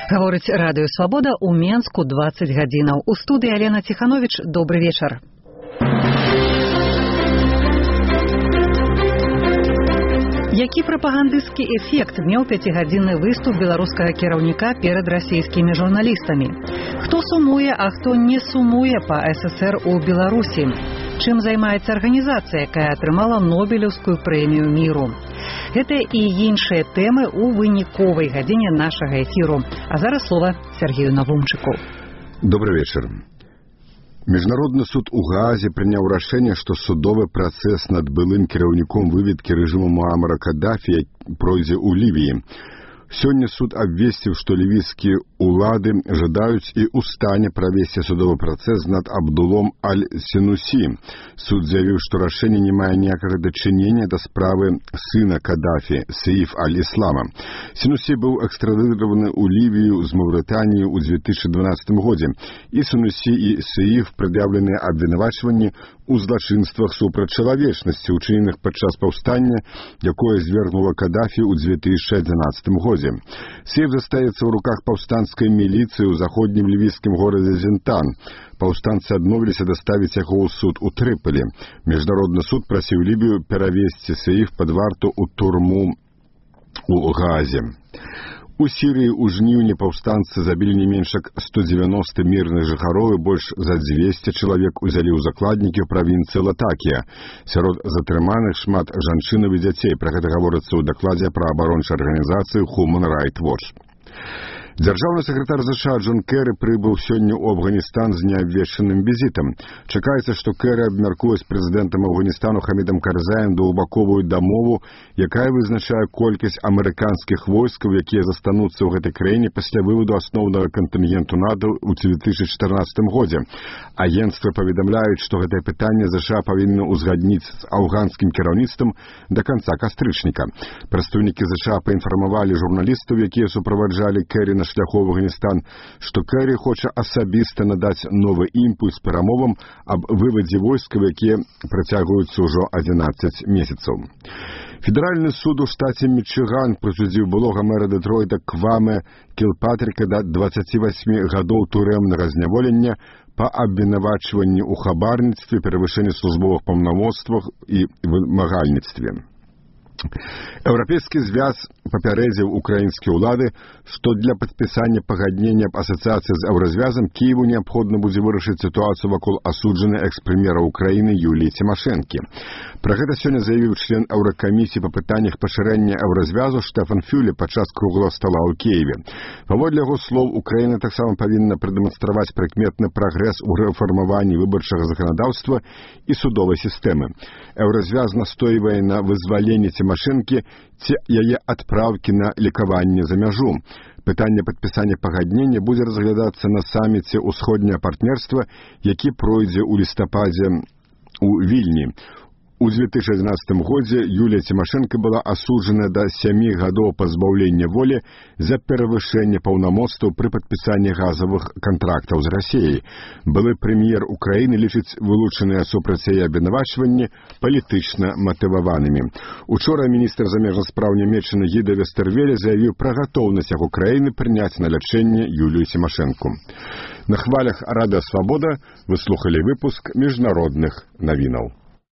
Гаворыць радыё Свабода ў Менску 20 гадзінаў. У студыі Алена Ціхановіч. Добры вечар. Які прапагандысцкі эфект меў 5-гадзінны выступ беларускага кіраўніка перад расійскімі журналістамі? Хто сумуе, а хто не сумуе па СССР у Беларусі? Чым займаецца арганізацыя, якая атрымала Нобелеўскую прэмію міру? Гэта і іншыя тэмы ў выніковай гадзіне нашага эфіру. А зараз слова Сергею Навумчыку. Добрый вечер. Міжнародны суд у Гаазе прыняў рашэнне, што судовы працэс над былым кіраўніком выведкі рэжыму Муамара Каддафі пройдзе ў Лівіі. Сёння суд абвесціў, што лівійскія улады жадаюць і ў стане правесці судовы працэс над Абдулом Аль-Сенусі. Суд заявіў, што рашэнне не мае ніякага дачынення да справы сына Каддафі, Сеіф Аль-Іслама. Сенусі быў экстрадыраваны ў Лівію з Маўрытаніі ў 2012 годзе. І Сенусі і Сеіф прад'яўленыя абвінавачванні у злачынствах супраць чалавечнасці, учыненых падчас паўстання, якое звергнула Каддафі ў 2011 годзе. Сеіф застаецца ў руках паўстанцкай міліцыі ў заходнім лівійскім горадзе Зентан. Паўстанцы адмовіліся даставіць яго ў суд у Трыполі. Міжнародны суд прасіў Лібію перавесці Сеіф пад варту ў турму ў Гаазе. У Сірыі ў жніўні паўстанцы забілі не менш як 190 мірных жыхароў і больш за 200 чалавек узялі ў закладнікі ў правінцыі Латакія. Сярод затрыманых шмат жанчынаў і дзяцей. Пра гэта гаворыцца ў дакладзе праваабарончай арганізацыі Human Rights Watch. Дзяржаўны сакратар США Джон Кэры прыбыў сёння ў Афганістан з неабвешчаным візітам. Чакаецца, што Кэры абмяркуе з прэзідэнтам Афганістану Хамідам Карзаем двухбаковую дамову, якая вызначае колькасць амерыканскіх войскаў, якія застануцца ў гэтай краіне пасля выводу асноўнага кантынгенту НАТО ў 2014 годзе. Агенцтвы паведамляюць, што гэтае пытанне США павінны ўзгадніць з афганскім кіраўніцтвам да канца кастрычніка. Прадстаўнікі США паінфармавалі журналістаў, якія суправаджалі Кэры на шляху в Афганістан, што Кэры хоча асабіста надаць новы імпульс перамовам аб вывадзе войскаў, якія працягваюцца ўжо 11 месяцаў. Федеральны суд у штаце Мічыган прысудзіў былога мэра Дэтройта Кваме Кілпатріка да 28 гадоў турэмнага зняволення па абвінавачванні ў хабарніцтве, перавышэнні службовых паўнамоцтвах і вымагальніцтве. Еўрапейскі звяз папярэдзіў украінскія ўлады, што для падпісання пагаднення аб асацыяцыі з еўразвязам Кіеву неабходна будзе вырашыць сітуацыю вакол асуджанай экс-прэм'ера Украіны Юліі Цімашэнкі. Пра гэта сёння заявіў член еўракамісіі па пытаннях пашырэння еўразвязу Штэфан Фюле падчас круглага стала ў Кіеве. Паводле яго слоў, Украіна таксама павінна прадэманстраваць прыкметны прагрэс у рэфармаванні выбарчага заканадаўства і судовай сістэмы. Еўразвяз настойвае на вызваленні Цімашэнкі ці яе адпраўкі на лекаванне за мяжу. Пытанне падпісання пагаднення будзе разглядацца на саміце ўсходняе партнерства, які пройдзе ў лістападзе ў Вільні. У 2011 годзе Юлія Цімашэнка была асуджана да 7 гадоў пазбаўлення волі за перавышэнне паўнамоцтваў пры падпісанні газавых кантрактаў з Расіяй. Былы прэм'ер Украіны лічыць вылучаныя супраць яе абвінавачванні палітычна матываванымі. Учора міністр замежных спраў Нямецчыны Гіда Вестервеле заявіў пра гатоўнасць яго краіны прыняць на лячэнне Юлію Цімашэнку. На хвалях радыё Свабода вы слухалі выпуск міжнародных навінаў.